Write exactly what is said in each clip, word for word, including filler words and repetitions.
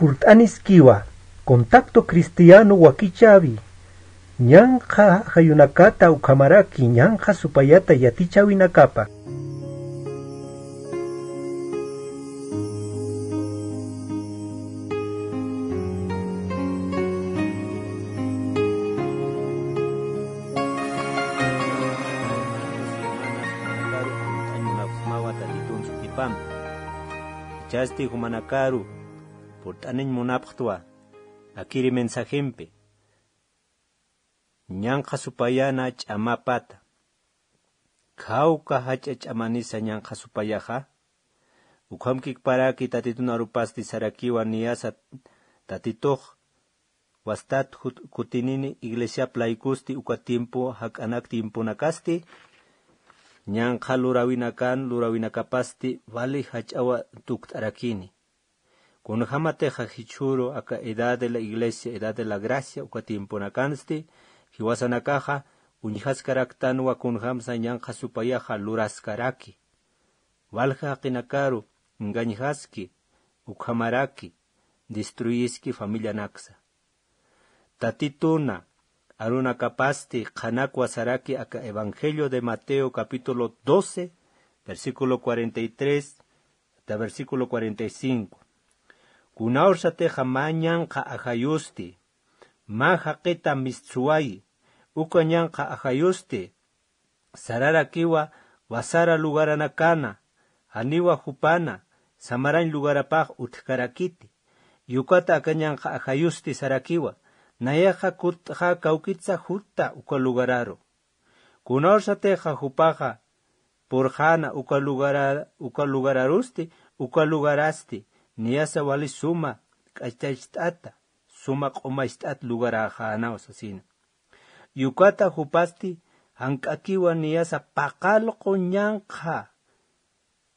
Purt'aniskiwa, Contacto Cristiano wakichäwi, ñanqha ajayunakata ukhamaraki ñanqha supayata yatichäwinakapa. Ichhasti jumanakaru purt'aniñ munapxtwa, akiri mensajempi ñanqha supayana ch'amapata. Khawka jach'a ch'amanisa ñanqha supayaxa. Ukhamkikparaki Tatitun arupasti sarakiwa niyasa Tatitux wastat jut-, kutinini iglesiap laykusti uka tiempo jak'anak tiemponakasti, ñanqha luräwinakan luräwinakapasti wali jach'awa tukt'arakini. Kunjämatixa jichhüru aka edad de la iglesia, edad de la gracia uka tiemponakansti, jiwasanakaxa uñjaskaraktanwa kunjämsa ñanqha supayaxa luraskaraki. Walja jaqinakaru engañjaski, ukhamaraki destruyiski familianaksa. Tatituna arunakapasti qhanakwa saraki aka Evangelio de Mateo capítulo doce, versículo cuarenta y tres hasta versículo cuarenta y cinco. Kunawsatixa mä ñanqha ajayusti, mä jaqita mistsuwayi, uka ñanqha ajayusti sararakiwa wasara lugaranakana, janiwa jupana samarañ lugarapax utjkarakiti. Ukata aka ñanqha ajayusti sarakiwa, nayaxa kutt'xa kawkitsa jutta uka lugararu. Kunawsatixa jupaxa purxäna uka lugara-, uka lugararusti, uka lugarasti niyasa wali suma k'achacht'ata, suma q'umacht'at lugaräxänaw sasina. Ukata jupasti jank'akiwa niyasa paqallqu ñanqha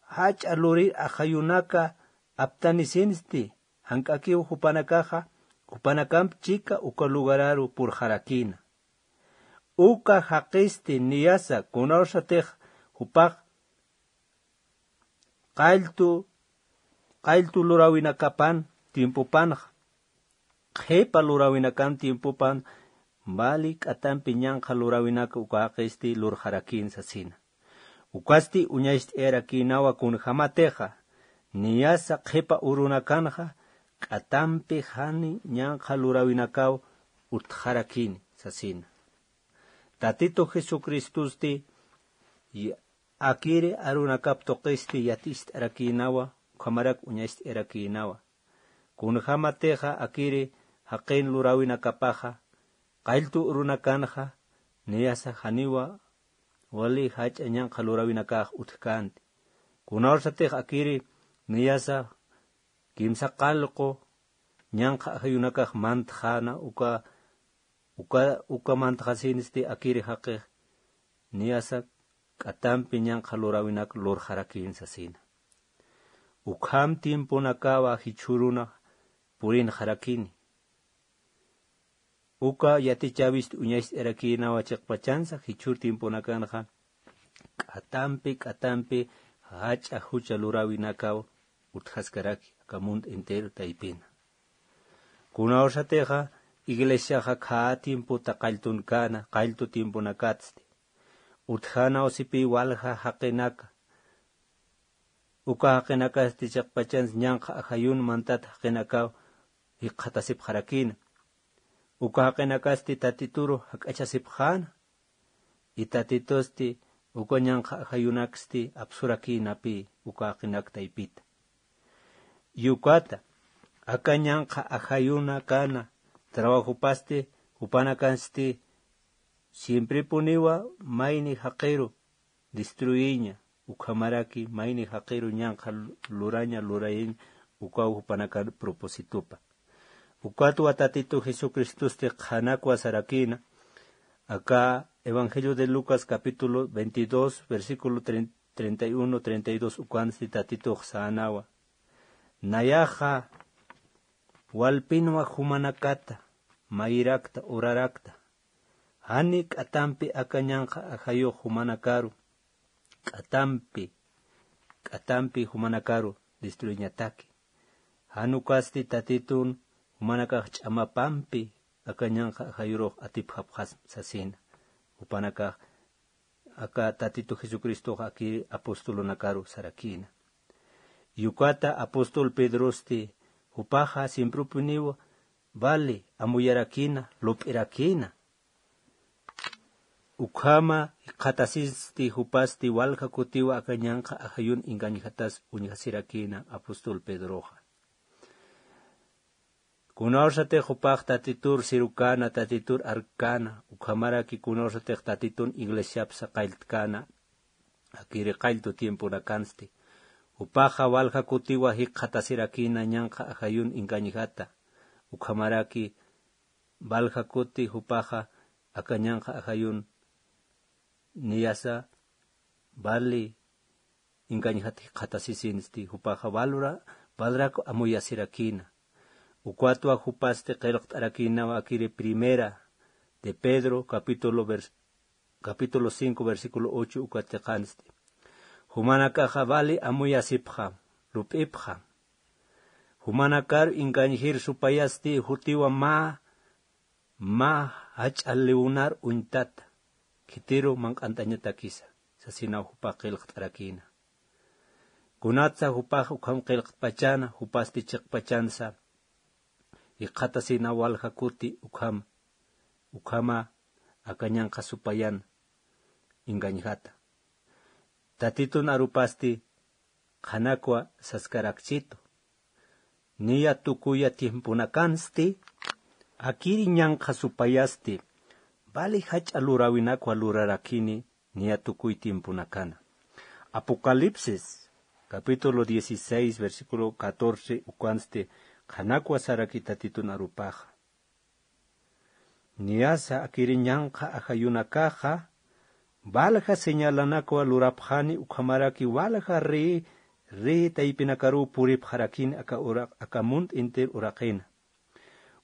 jach'a lurir ajayunaka aptanisinsti, jank'akiw jupanakaxa, jupanakamp chika uka lugararu purxarakïna. Uka jaqisti niyasa kunawsatix jupax qalltu, qalltu luräwinakapan tiempopanxa, qhipa luräwinakan tiempopan, wali k'atampi ñanqha luräwinaka uka jaqisti lurxarakïn sasina. Ukasti uñacht'ayarakïnawa kunjämatixa, niyasa qhipa urunakanxa, k'atampi jani ñanqha luräwinakaw utjarakïni sasina. Tatitu Jesucristosti, y akiri arunakap tuqisti yaticht'arakïnawa, ukhamarak uñacht'ayarakïnawa. Kunjämatixa akiri jaqin luräwinakapaxa, qalltu urunakanxa, niyasa janiwa wali jach'a ñanqha luräwinakax utjkänti. Kunawsatix akiri niyasa kimsa qallqu ñanqha ajayunakax mantxäna uka, uka, uka mantxasinsti akiri jaqix niyasa k'atampi ñanqha luräwinak lurxarakïn sasina. Ukham tiemponakawa jichhüruna purinxarakini. Uka yatichäwist uñacht'ayarakïnawa chiqpachansa, jichhür tiemponakanxa k'atampi, k'atampi jach'a jucha luräwinakaw utjaskaraki aka mundo entero taypina. Kunawsatixa iglesiaxa khä tiempota qalltunkana, qalltu tiemponakatsti. Utjänaw sipï walja jaqinaka. Uka jaqinakasti chiqpachansa ñanqha ajayun mantat jaqinakaw jikxatasipxarakïna. Uka jaqinakasti Tatituru jak'achasipxäna. Y Tatitusti uka ñanqha ajayunaksti apsurakïnapï uka jaqinak taypita. Ukata, aka ñanqha ajayunakana trabajopasti, jupanakansti siemprepuniwa mayni jaqiru destruyiña, ukhamaraki mayni jaqiru ñanqha luraña, lurayiñ, ukaw jupanakan propositopa. Ukatwa Tatitu Jesucristosti qhanakwa sarakïna, aka Evangelio de Lucas capítulo veintidós, versículo treinta y uno, treinta y dos, ukansti Tatitux sänawa. Nayaxa walpinwa jumanakata, mayirakta, urarakta. Jani k'atampi aka ñanqha ajayux jumanakaru, k'atampi, k'atampi jumanakaru destruiñataki. Jan ukasti Tatitun jumanakax ch'amapampi aka ñanqha ajayurux atipxapxasma sasina. Jupanakax aka Tatitu Jesucristox akir apostolunakaru sarakïna. Y ukata apóstol Pedrosti jupaxa siemprupuniw vali amuyarakïna, lup'irakïna. Ukhama jikxatasisti jupasti walja kutiwa aka ñanqha ajayun engañjatas uñjasirakïna apóstol Pedroxa. Kunawsatix jupax Tatitur sirukana, Tatitur arkana, ukhamaraki kunawsatix Tatitun iglesiapsa qalltkana, akiri qalltu tiemponakansti. Jupaxa walja kutiwa jikxatasirakïna ñanqha ajayun engañjata. Ukhamaraki walja kuti jupaxa aka ñanqha ajayun niyasa vali engañjat jikxatasisinsti, jupaxa valra, valrak amuyasirakïna. Ukwatwa jupasti qillqt'arakïnawa akiri primera de Pedro, capítulo vers-, capítulo cinco, versículo ocho, ukat chiqansti. Jumanakaxa vali amuyasipxam, lup'ipxam. Jumanakar engañjir supayasti jutiwa mä, mä jach'a liwnar uñtata, khitiru manq'antañatakisa, sasinaw jupax qillqt'arakïna. Kunatsa jupax ukham qillqtpachana, jupasti chiqpachansa jikxatasina walja kuti ukham, ukhama aka ñanqha supayan engañjata. Tatitun arupasti qhanakwa saskarakchitu. Niya tukuya tiemponakansti, akiri ñanqha supayasti, vali jach'a luräwinakwa lurarakini niya tukuy tiemponakana. Apocalipsis, capítulo dieciséis, versículo catorce, ukansti, qhanakwa saraki Tatitun arupaxa. Niyasa akiri ñanqha ajayunakaxa, valja señalanakwa lurapxani ukhamaraki valja rey, rey taypinakaruw puripxarakini aka ura-, aka munt intir uraqina.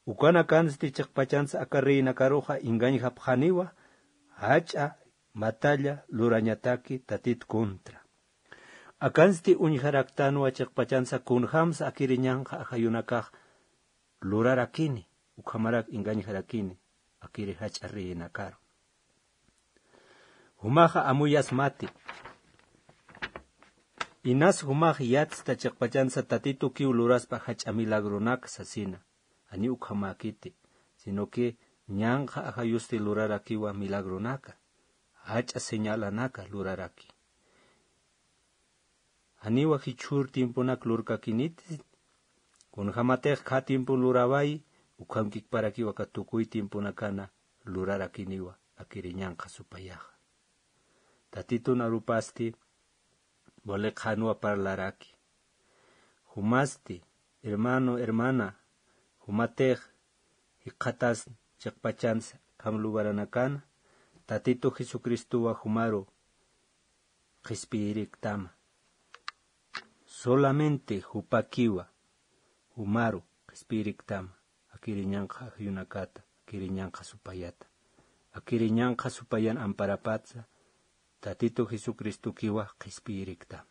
Ukanakansti chiqpachansa aka reynakaruxa engañjapxaniwa, jach'a matalla lurañataki Tatit contra. Akansti uñjaraktanwa chiqpachansa kunjamsa akiri ñanqha ajayunakax lurarakini, ukhamarak engañjarakini, akiri jach'a reyinakaru. Jumaxa amuyasmati. Inas jumax yatsta chiqpachansa Tatitukiw luraspa jach'a milagronak sasina. Janiw ukhamäkiti, sino que ñanqha ajayusti lurarakiwa milagronaka, jach'a señalanaka luraraki. Janiwa jichhür tiemponak lurkakiniti, kunjamatix khä tiempon luräwayi, ukhamkikparakiwa aka tukuy tiemponakana lurarakiniwa, akiri ñanqha supayaxa. Tatitun arupasti, wali qhanwa parlaraki. Jumasti, hermano, hermana, jumatix jikxatas chiqpachansa kham lugaranakana, Tatitu Jesucristowa jumaru qhispiyiriktama. Solamente jupakiwa, jumaru qhispiyiriktama, akiri ñanqha ajayunakata, akiri ñanqha supayata, akiri ñanqha supayan amparapatsa, Tatitu Jesucristokiwa qhispiyiriktama.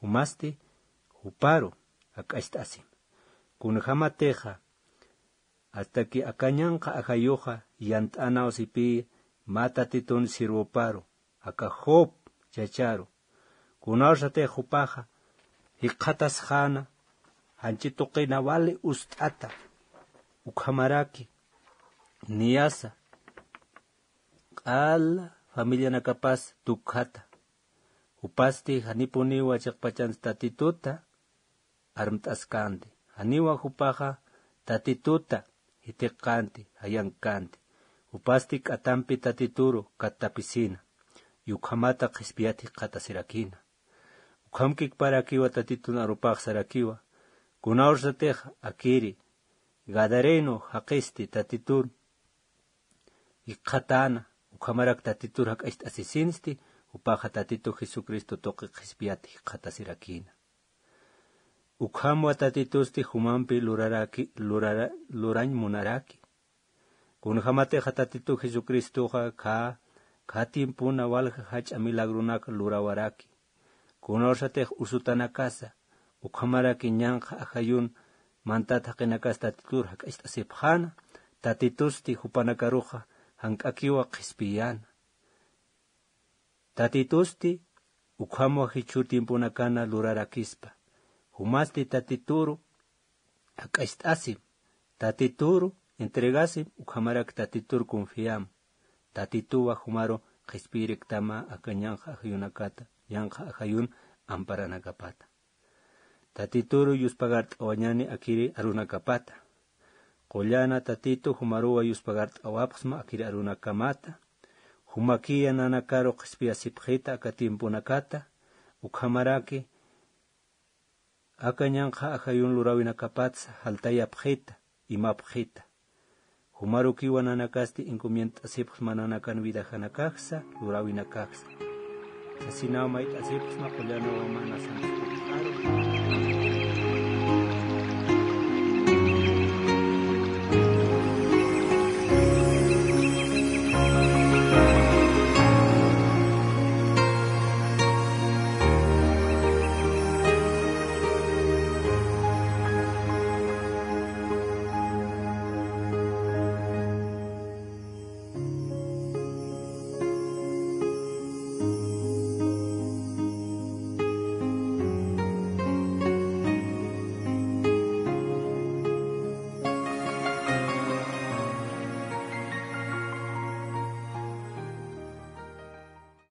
Jumasti, juparu jak'acht'asim. Kunjamatixa, hasta que aka ñanqha ajayuxa yant'anaw sipï mä Tatitun sirwoparu, aka Job chacharu. Kunawsatix jupaxa jikxatasxäna, janchi tuqina wali ust'ata, ukhamaraki, niyasa, q'ala familianakapas tukjata. Jupasti janipuniwa chiqpachansa Tatituta armt'askänti. Janiwa jupaxa Tatituta jithiqkänti, jayankänti. Jupasti k'atampi Tatituru kattapisina. Y ukhamata qhispiyat jikxatasirakina. Ukhamkikparakiwa Tatitun arupax sarakiwa. Kunawsatix akiri Gadareno jaqisti Tatitun jikxatäna, ukhamarak Tatitur jak'acht'asisinsti, jupaxa Tatitu Jesucristo tuqi qhispiyat jikxatasirakina. Ukhamwa Tatitusti jumampi luraraki, lurara-, lurañ munaraki. Kunjamatixa Tatitu Jesucristoxa khä, khä tiempona walja jach'a milagronak lurawaraki. Kunawsatix usutanakasa, ukhamaraki ñanqha ajayun mantat jaqinakas tatitur jak'acht'asipxäna. Tatitusti jupanakaruxa jank'akiwa qhispiyäna. Tatitusti ukhamwa jichhür tiemponakana lurarakispa. Jumasti tatituru jak'acht'asim, tatituru entregasim, ukhamarak tatitur confiam. Tatituwa jumaru qhispiyiriktama aka ñanqha ajayunakata, ñanqha ajayun amparanakapata. Tatituru yuspagart'awañani akiri arunakapata. Qullana tatitu jumaruwa yuspagart'awapxsma akiri arunakamata. Jumakiya nanakaru qhispiyasipxita aka tiemponakata, ukhamaraki aka ñanqha ajayun luräwinakapatsa jaltayapxita, imapxita. Jumarukiwa nanakasti encomiendt'asipxsma nanakan vidajanakaksa, luräwinakaksa. Sasinaw mayt'asipxsma qullana wamana sanskutxaru.